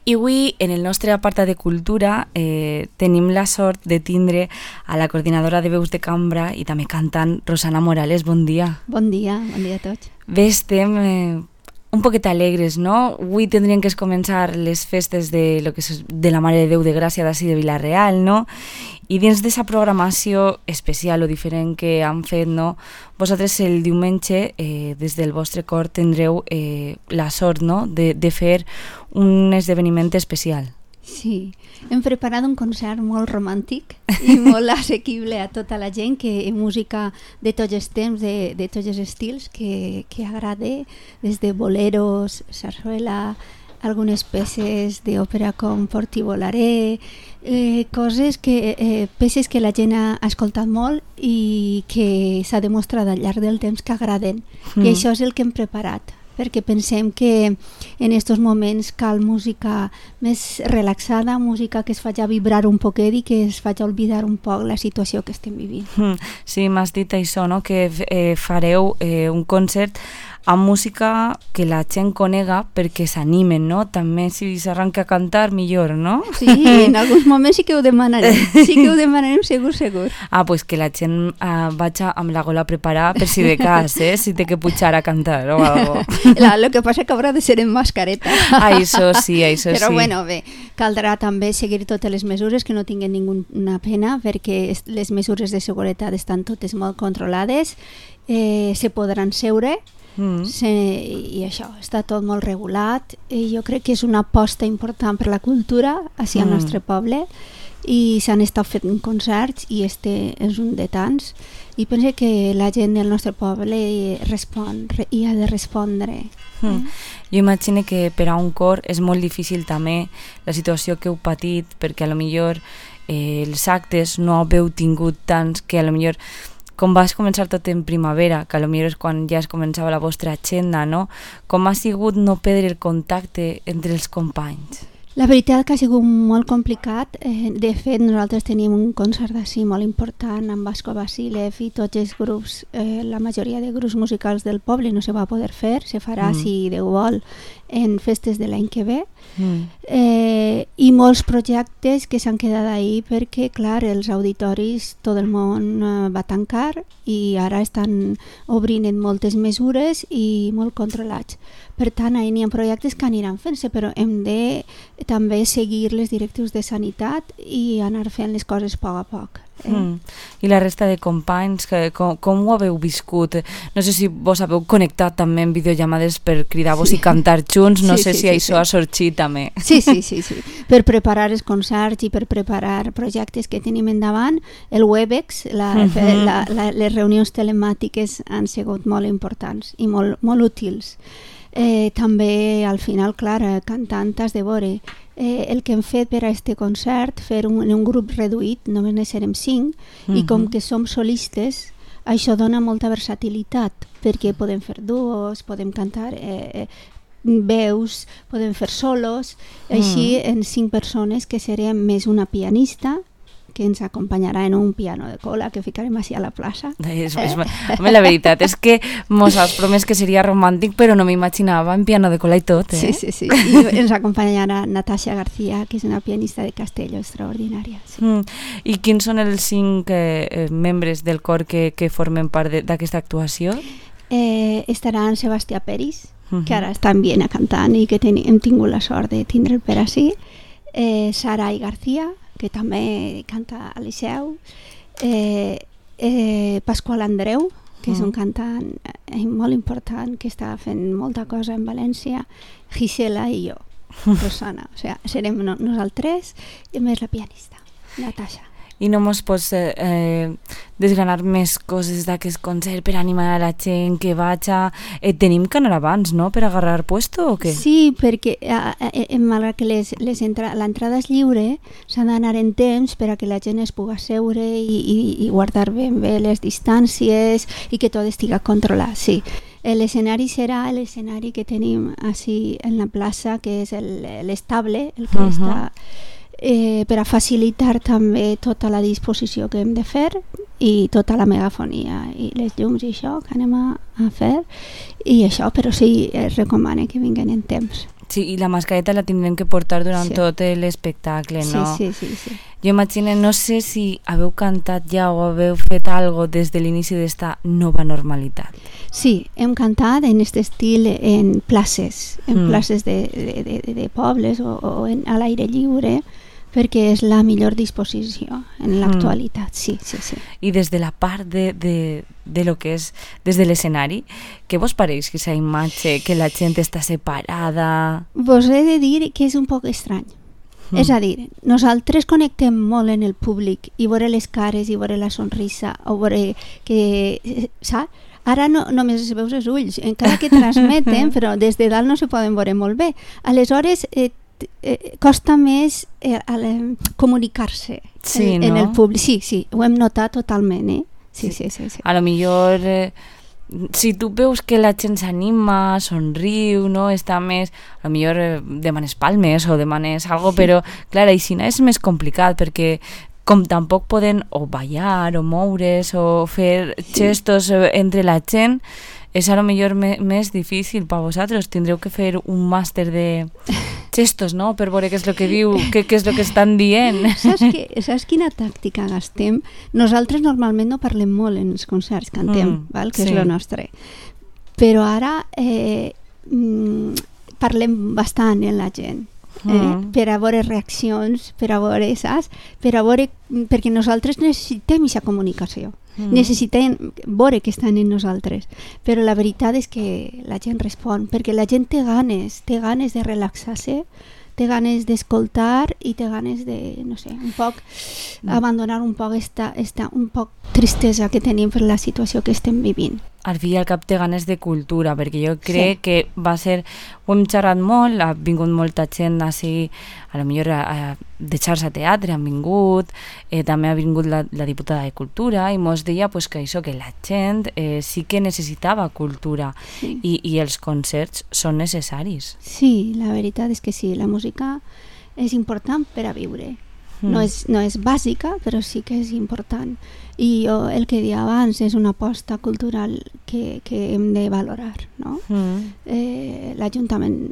I avui, en el nostre apartat de cultura, tenim la sort de tindre a la coordinadora de veus de cambra i també cantant Rosana Morales. Bon dia. Bon dia a tots. Bé, estem un poquet alegres, no? Avui tindrien que començar les festes de la Mare de Déu de Gràcia d'ací de Vila-real, no? I dins d'aquesta programació especial o diferent que han fet, no? Vosaltres el diumenge, des del vostre cor, tindreu la sort, no?, de fer un esdeveniment especial. Sí, hem preparat un concert molt romàntic i molt assequible a tota la gent, que música de tots els temps, de tots els estils, que agrada, des de boleros, sarsuela, algunes peces d'òpera com Porti volaré, peces que la gent ha escoltat molt i que s'ha demostrat al llarg del temps que agraden. I això és el que hem preparat, perquè pensem que en aquests moments cal música més relaxada, música que es faci vibrar un poquet i que es faci oblidar un poc la situació que estem vivint. Sí, m'has dit això, no?, que fareu un concert amb música que la gent conega perquè s'animen, no? També si s'arranca a cantar, millor, no? Sí, en alguns moments sí que ho demanarem. Sí que ho demanarem segur. Ah, pues que la gent vagi amb la gola preparada per si de cas, si té que pujar a cantar o algo. Lo que passa que haurà de ser en mascareta. Això sí. Però bueno, bé, caldrà també seguir totes les mesures, que no tinguin ninguna pena, perquè les mesures de seguretat estan totes molt controlades, se podran seure, i això, està tot molt regulat, i jo crec que és una aposta important per la cultura hacia el nostre poble, i s'han estat fent concerts i este és un de tants, i penso que la gent del nostre poble respon i ha de respondre. Jo imagino que per a un cor és molt difícil també la situació que heu patit, perquè a lo millor els actes no heu tingut tants, que a lo millor com vas començar tot en primavera, que potser és quan ja es començava la vostra agenda, no? Com ha sigut no perdre el contacte entre els companys? La veritat que ha sigut molt complicat. De fet, nosaltres tenim un concert d'ací molt important amb Vasco Vasilev i tots els grups, la majoria de grups musicals del poble no se va poder fer, se farà, si Déu vol, en festes de l'any que ve. I molts projectes que s'han quedat ahí perquè, clar, els auditoris, tot el món va tancar i ara estan obrint en moltes mesures i molt controlats. Per tant, n'hi ha projectes que aniran fent-se, però hem de també seguir les directrius de sanitat i anar fent les coses a poc a poc. I la resta de companys, com ho haveu viscut? No sé si vos haveu connectat també en videollamades per cridar-vos i cantar junts, no sé si això ha sorgit també. Sí. Per preparar els concerts i per preparar projectes que tenim endavant, el Webex, les reunions telemàtiques han sigut molt importants i molt útils. També al final, clar, cantant has de veure el que hem fet per a este concert, fer un grup reduït, només ne serem 5, i com que som solistes, això dona molta versatilitat, perquè podem fer duos, podem cantar veus, podem fer solos, així en 5 persones, que serem més una pianista, que ens acompanyarà en un piano de cola que ficarem així a la plaça. Home, la veritat és que mos has promès que seria romàntic, però no m'imaginava en piano de cola i tot, Sí. I ens acompanyarà Natasha García, que és una pianista de Castelló extraordinària. I quins són els 5 membres del cor que formen part d'aquesta actuació? Estaran Sebastià Peris, que ara està en Viena cantant i que hem tingut la sort de tindre'l per ací, Sarai García, que també canta al Liceu, Pasqual Andreu, que és un cantant molt important que està fent molta cosa en València, Gisela i jo, Rosana. O sigui, serem nosaltres i més la pianista, Natasha. I no mos pots desgranar més coses d'aquest concert per animar a la gent que vaja? Tenim que anar abans, no?, per agarrar puesto o què? Sí, perquè malgrat que l'entrada és lliure, s'ha d'anar en temps per a que la gent es pugui seure i guardar ben bé les distàncies i que tot estigui controlat, sí. L'escenari serà l'escenari que tenim així en la plaça, que és l'estable, el que està... per a facilitar també tota la disposició que hem de fer i tota la megafonia i les llums i això que anem a fer i això, però sí es recomana que vinguin en temps. Sí, i la mascareta la tindrem que portar durant tot l'espectacle, no? Sí. Jo imagino, no sé si haveu cantat ja o haveu fet algo des de l'inici d'esta nova normalitat. Sí, hem cantat en aquest estil en places, places de pobles o a l'aire lliure, perquè és la millor disposició en l'actualitat, sí. I des de la part de lo que és des de l'escenari, què vos pareix aquesta imatge, que la gent està separada? Vos he de dir que és un poc estrany. És a dir, nosaltres connectem molt en el públic i veure les cares i veure la sonrisa o veure que, saps? Ara només es veus els ulls, encara que transmeten, però des de dalt no se poden veure molt bé. Aleshores, costa més comunicar-se en el públic. Sí, ho hem notat totalment, Sí. A lo millor, si tu veus que la gent s'anima, somriu, no? Està més, a lo millor demanes palmes o demanes algo, però clar, així és més complicat perquè com tampoc poden o ballar o moure's o fer gestos entre la gent, és a lo millor més difícil per vosaltres. Tindreu que fer un màster de gestos, no?, per veure què és el que diu, què és el que estan dient. Saps quina tàctica gastem? Nosaltres normalment no parlem molt en els concerts, cantem, que és el nostre. Però ara parlem bastant en la gent. Per a veure reaccions, per a veure, saps? Perquè nosaltres necessitem aquesta comunicació. Necessitem veure que estan en nosaltres, però la veritat és que la gent respon, perquè la gent té ganes de relaxar-se, té ganes d'escoltar i té ganes de, no sé, un poc abandonar un poc esta un poc tristesa que tenim per la situació que estem vivint. Al fi i al cap té ganes de cultura, perquè jo crec que va ser, ho hem xerrat molt, ha vingut molta gent així, a lo millor de xarxa teatre han vingut, també ha vingut la diputada de Cultura i mos deia pues, que això, que la gent sí que necessitava cultura i els concerts són necessaris. Sí, la veritat és que sí, la música és important per a viure. No és bàsica, però sí que és important. I jo, el que deia abans, és una aposta cultural que hem de valorar, no? L'Ajuntament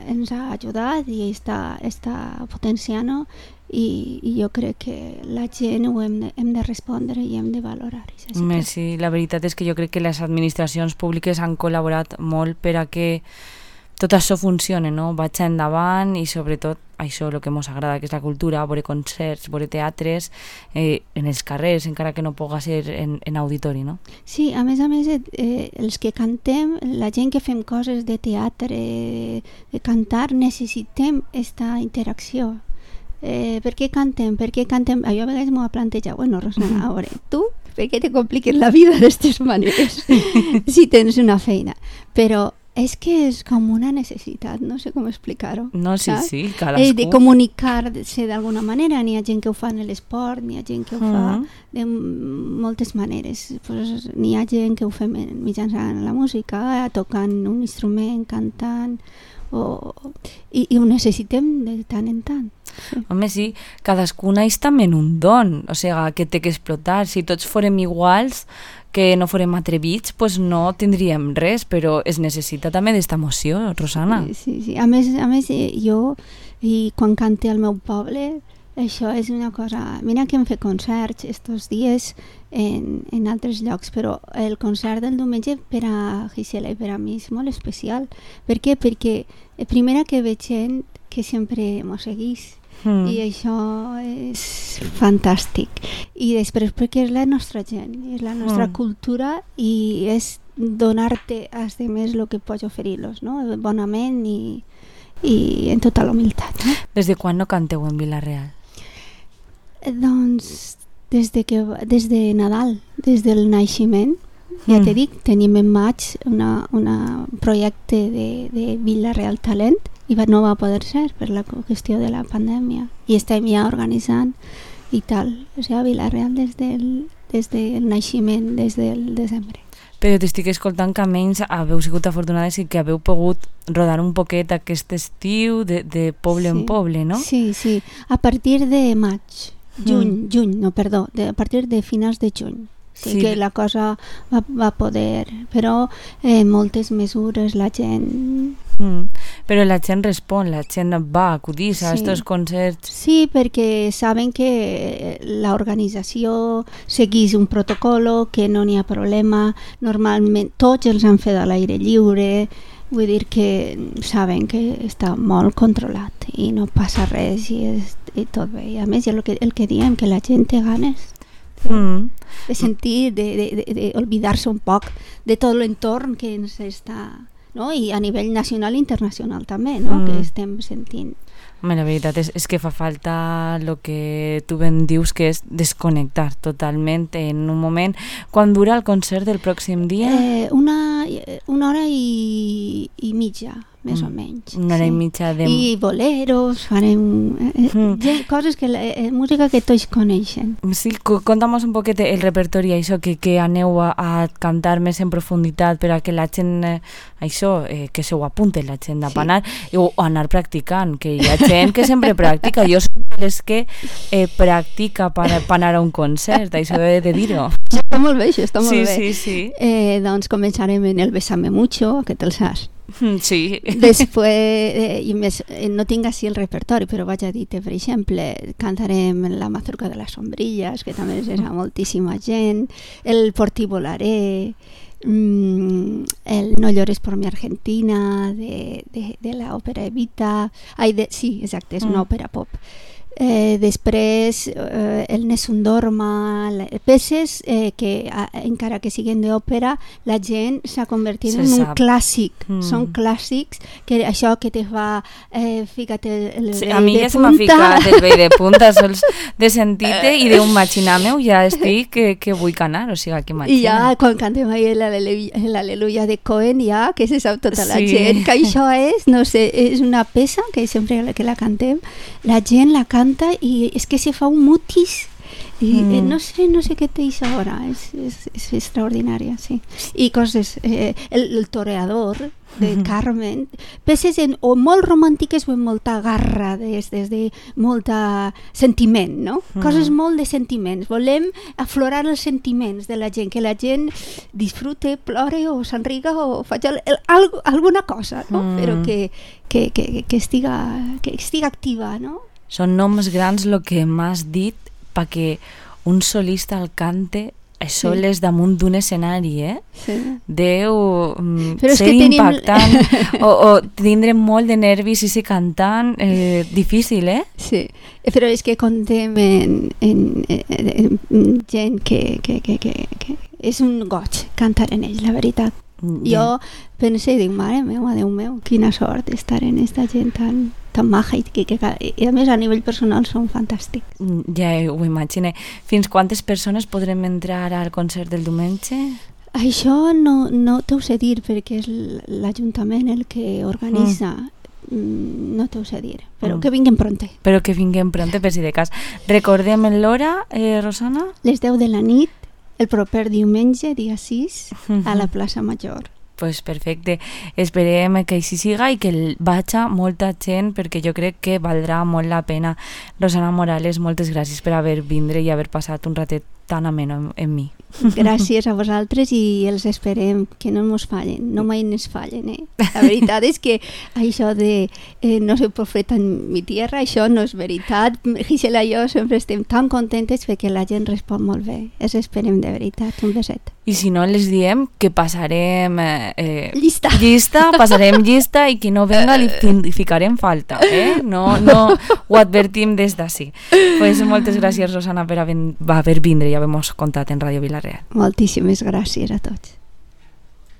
ens ha ajudat i està potenciant-ho i jo crec que la gent ho hem de respondre i hem de valorar. Sí, la veritat és que jo crec que les administracions públiques han col·laborat molt per a que tot això funciona, no? Vaig endavant i sobretot això, el que ens agrada, que és la cultura, veure concerts, veure teatres en els carrers, encara que no puga ser en auditori, no? Sí, a més, els que cantem, la gent que fem coses de teatre, de cantar, necessitem aquesta interacció. Per què cantem? Jo a vegades m'ho he plantejat, bueno, Rosana, a veure, tu, per què te compliques la vida d'aquestes maneres si tens una feina? Però és que és com una necessitat, no sé com explicar-ho. No, sí, cadascú. De comunicar-se d'alguna manera. N'hi ha gent que ho fa en l'esport, n'hi ha gent que ho fa de moltes maneres. Pues, n'hi ha gent que ho fa mitjançant la música, tocant un instrument, cantant, i ho necessitem de tant en tant. Sí. Home, sí, cadascú naix també en un don, o sigui, que té que explotar. Si tots fórem iguals, que no fórem atrevits, pues no tindríem res, però es necessita també d'esta emoció, Rosana. Sí. A més, jo, i quan cante al meu poble, això és una cosa... Mira que hem fet concerts estos dies en altres llocs, però el concert del diumenge per a Gisela i per a mi és molt especial. Per què? Perquè primera que veig gent que sempre m'ho seguís, i això és fantàstic. I després perquè és la nostra gent, és la nostra cultura i és donar-te als demés el que pots oferir-los, no? Bonament i en tota la humilitat. No? Des de quan no canteu en Vila-real? Doncs des de Nadal, des del naixement. Ja t'he dit, tenim en maig un projecte de Vila-real Talent i no va poder ser per la qüestió de la pandèmia i estem ja organitzant i tal, o sigui, Vila-real des del naixement, des del desembre. Però t'estic escoltant que almenys haveu sigut afortunades i que haveu pogut rodar un poquet aquest estiu de poble en poble, no? Sí, a partir de maig, juny, a partir de finals de juny. sigui que la cosa va poder, però moltes mesures la gent... Però la gent respon, la gent va acudir a aquests concerts. Sí, perquè saben que l'organització segueix un protocolo, que no n'hi ha problema, normalment tots els han fet a l'aire lliure, vull dir que saben que està molt controlat i no passa res i tot bé. I a més, el que diem, que la gent té ganes de sentir, d'oblidar-se un poc de tot l'entorn que ens està... No? I a nivell nacional i internacional també, no? Que estem sentint. Home, la veritat és que fa falta el que tu ben dius, que és desconnectar totalment en un moment. Quan dura el concert del pròxim dia? Una hora i mitja, més o menys. Una hora i mitja de... I boleros, farem coses música que tots coneixen. Sí, conta'm un poquet el repertori, això, que aneu a cantar més en profunditat per a que la gent, això, que se ho apunte la gent a anar, o anar practicant, que hi ha gent que sempre practica. Jo soc les que practica per anar a un concert, això he de dir-ho. Està molt bé, això està molt bé. Sí. Doncs començarem en el Bésame Mucho, aquest el saps. Sí. Després, i més, no tinc així el repertori, però vaig a dir-te, per exemple, cantarem La mazorca de las sombrillas, que també és moltíssima gent, el Por ti volaré, el No llores por mi Argentina, de la òpera Evita, sí, exacte, és una òpera pop. Després el Nessun Dorma, peces que encara que siguin d'òpera la gent s'ha convertit en un clàssic, són clàssics, que això que te fa fica't el vell de punta. A mi ja se m'ha ficat el vell de punta sols de sentir-te i d'un maxinar-me ja estic que vull canar, o sigui que i ja quan cantem ahí l'Aleluia de Cohen ja que se sap tota la gent que això és, no sé, és una peça que sempre que la cantem la gent la canta i és que se fa un mutis i no sé què té això ara, és extraordinària, sí. I coses, el toreador de Carmen, peces o molt romàntiques o amb molta garra, des de molta sentiment, no? Coses molt de sentiments. Volem aflorar els sentiments de la gent, que la gent disfrute, plore o s'enriga o faci alguna cosa, no? Però que estiga activa, no? Són noms grans el que m'has dit perquè un solista el cante sol és damunt d'un escenari, deu ser impactant o tindre molt de nervis i ser cantant difícil, Sí, però és que contem en gent que és un goig cantar en ells, la veritat. Jo penso i dic, mare meva, Déu meu, quina sort estar en aquesta gent tan maja i a més a nivell personal són fantàstics. Ja ho imagino. Fins quantes persones podrem entrar al concert del diumenge? Això no t'ho sé dir perquè és l'Ajuntament el que organitza. No t'ho sé dir, però que vinguem pronte. Però que vinguem pronte, per si de cas. Recordem l'hora, Rosana? Les 10 de la nit, el proper diumenge, dia 6, a la plaça Major. Pues perfecte, esperem que així siga i que vagi molta gent perquè jo crec que valdrà molt la pena. Rosana Morales, moltes gràcies per haver vindre i haver passat un ratet tan ameno amb mi. Gràcies a vosaltres i els esperem que no ens fallen, no mai ens fallen. La veritat és que això de no soy profeta en mi tierra, això no és veritat. Gisela i jo sempre estem tan contentes perquè la gent respon molt bé. Els esperem de veritat, un beset. I si no, les diem que passarem llista, passarem llista i qui no venga li ficarem falta. No ho advertim des d'ací. Pues moltes gràcies, Rosana, per haver vindre i haver-nos contat en Ràdio Vila-real. Moltíssimes gràcies a tots.